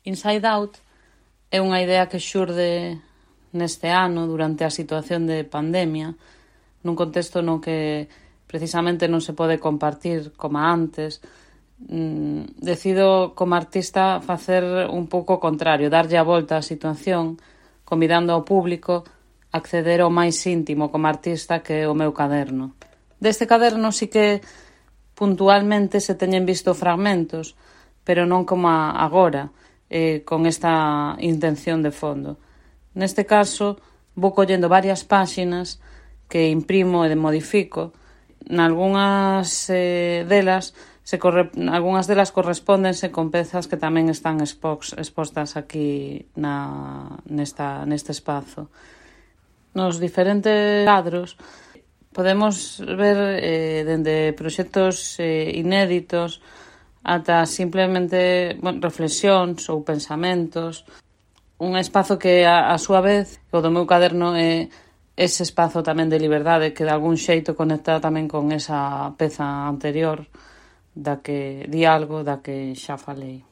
Inside Out é unha idea que xurde neste ano durante a situación de pandemia, nun contexto no que precisamente non se pode compartir como antes. Decido como artista facer un pouco o contrario, darlle a volta á situación, convidando ao público a acceder ao máis íntimo como artista, que é o meu caderno. Deste caderno sí que puntualmente se teñen visto fragmentos, pero non como agora, con esta intención de fondo. Neste caso, vou collendo varias páxinas que imprimo e modifico. Algunhas delas correspóndense con pezas que tamén están expostas aquí neste espazo. Nos diferentes cadros podemos ver dende proxectos inéditos ata simplemente reflexións ou pensamentos. Un espazo que, a súa vez, o do meu caderno é ese espazo tamén de liberdade que de algún xeito conecta tamén con esa peza anterior da que di algo da que xa falei.